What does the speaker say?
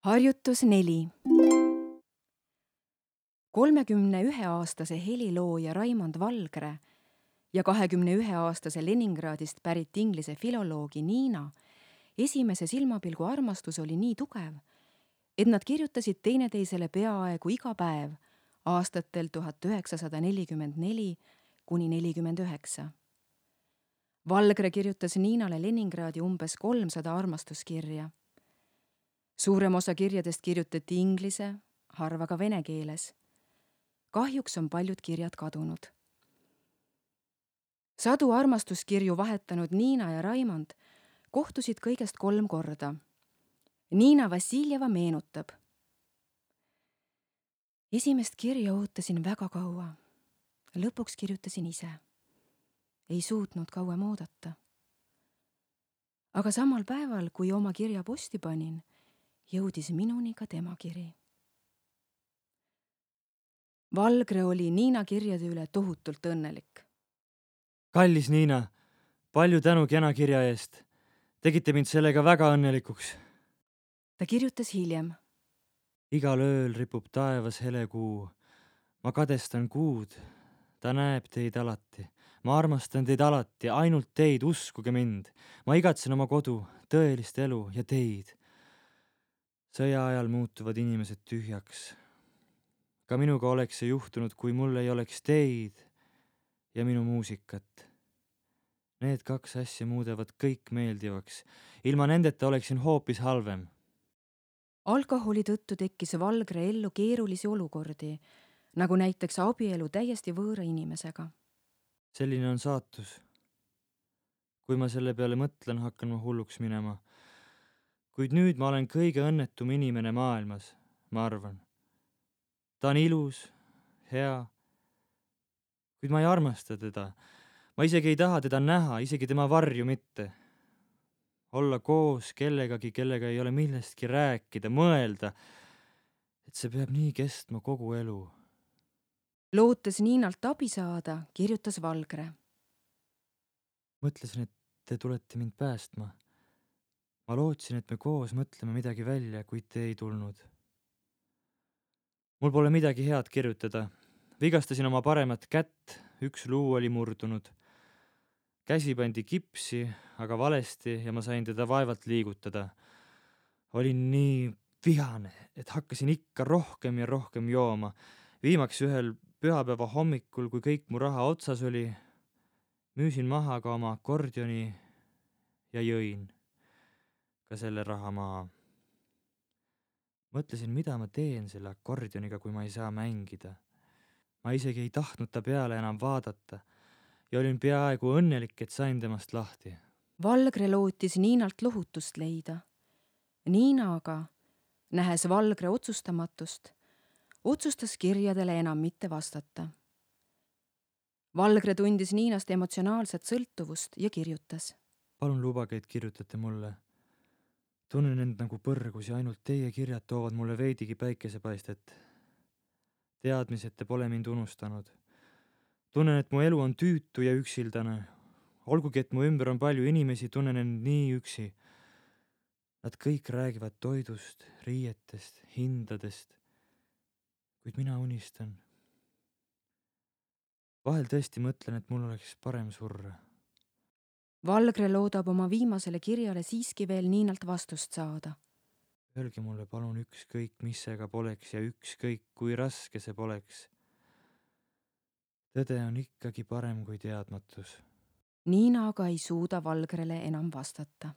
Harjutus 4. 31-aastase helilooja Raimond Valgre ja 21-aastase Leningradist pärit inglise filoloogi Niina esimese silmapilgu armastus oli nii tugev, et nad kirjutasid teineteisele peaaegu iga päev aastatel 1944–49. Valgre kirjutas Niinale Leningradi umbes 300 armastuskirja. Suurem osa kirjadest kirjutati inglise, harva ka vene keeles. Kahjuks on paljud kirjad kadunud. Sadu armastuskirju vahetanud Niina ja Raimond kohtusid kõigest 3 korda. Niina Vassiljeva meenutab. Esimest kirja ootasin väga kaua. Lõpuks kirjutasin ise. Ei suutnud kauem oodata. Aga samal päeval, kui oma kirja posti panin, jõudis minuni ka tema kiri. Valgre oli Niina kirjade üle tohutult õnnelik. Kallis Niina, palju tänu kena kirja eest. Tegite mind sellega väga õnnelikuks. Ta kirjutas hiljem. Igal ööl ripub taevas hele kuu. Ma kadestan kuud. Ta näeb teid alati. Ma armastan teid alati, ainult teid, uskuge mind. Ma igatsen oma kodu, tõelist elu ja teid. Sõja ajal muutuvad inimesed tühjaks. Ka minuga oleks see juhtunud, kui mul ei oleks teid ja minu muusikat. Need 2 asja muudavad kõik meeldivaks. Ilma nendeta oleksin hoopis halvem. Alkoholi tõttu tekkis Valgre ellu keerulisi olukordi, nagu näiteks abielu täiesti võõra inimesega. Selline on saatus. Kui ma selle peale mõtlen, hakkan ma hulluks minema. Kuid nüüd ma olen kõige õnnetum inimene maailmas, ma arvan. Ta on ilus, hea, kuid ma ei armasta teda. Ma isegi ei taha teda näha, isegi tema varju mitte. Olla koos kellegagi, kellega ei ole millestki rääkida, mõelda, et see peab nii kestma kogu elu. Lootes Niinalt abi saada, kirjutas Valgre. Mõtlesin, et te tulete mind päästma. Ma lootsin, et me koos mõtleme midagi välja, kuid te ei tulnud. Mul pole midagi head kirjutada. Vigastasin oma paremat kätt, 1 luu oli murdunud. Käsi pandi kipsi, aga valesti ja ma sain teda vaevalt liigutada. Olin nii vihane, et hakkasin ikka rohkem ja rohkem jooma. Viimaks ühel pühapäeva hommikul, kui kõik mu raha otsas oli, müüsin maha ka oma akordioni ja jõin ka selle raha maha. Mõtlesin, mida ma teen selle akordioniga, kui ma ei saa mängida. Ma isegi ei tahtnud ta peale enam vaadata ja olin peaaegu õnnelik, et sain temast lahti. Valgre lootis Niinalt lohutust leida. Niina aga, nähes Valgre otsustamatust, otsustas kirjadele enam mitte vastata. Valgre tundis Niinast emotsionaalset sõltuvust ja kirjutas. Palun lubage, et kirjutate mulle. Tunnen end nagu põrgus ja ainult teie kirjad toovad mulle veidigi päikesepaistet. Teadmised te pole mind unustanud. Tunnen, et mu elu on tüütu ja üksildane. Olgugi, et mu ümber on palju inimesi, tunnen end nii üksi. Nad kõik räägivad toidust, riietest, hindadest, kuid mina unistan. Vahel tõesti mõtlen, et mul oleks parem surra. Valgre loodab oma viimasele kirjale siiski veel Niinalt vastust saada. Öelge mulle palun ükskõik, mis seega poleks ja ükskõik, kui raske see poleks. Tõde on ikkagi parem kui teadmatus. Niina aga ei suuda Valgrele enam vastata.